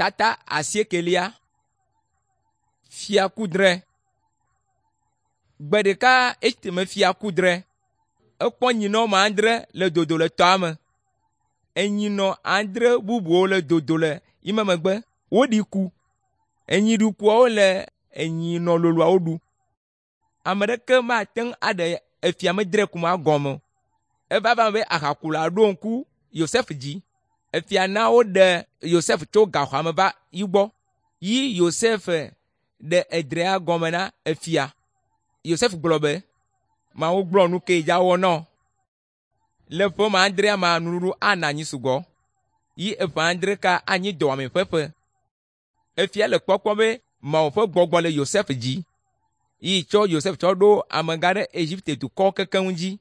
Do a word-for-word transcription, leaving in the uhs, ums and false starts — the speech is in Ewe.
Tata asiekelia. Fia kudre. Gbe ɖeka esime fia kudre, ekpɔ nyinɔ me adre le dodo le tɔa me. Enyinɔ adre bubuwo le dodo le yime megbe woɖi ku. Enyi ɖikuawo le enyinɔ loloawo ɖu. Ame ɖeke mate ŋu aɖe efia medre kuma gɔme o. Eva va eme be ahakula ɖo ŋku Yosef dzi. Efia na woɖe Yosef tso gaxɔa me va yi gbɔ. Yi Yosef ɖe edrea gɔme na efia. Yosef gblɔ be, “Mawu gblɔ nu ke dza wɔ nɔ. Le ƒe ma adrea ma nuɖuɖu ana anyi sugbɔ. Yi eƒe adre ka anyi dɔwɔame ƒe ƒe.” Efia le kpɔkpɔm be Mawu ƒe gbɔgbɔ le Yosef dzi. Yi tsɔ Yosef tsɔ ɖo amegã ɖe Egipte dukɔwo kekeŋ dzi.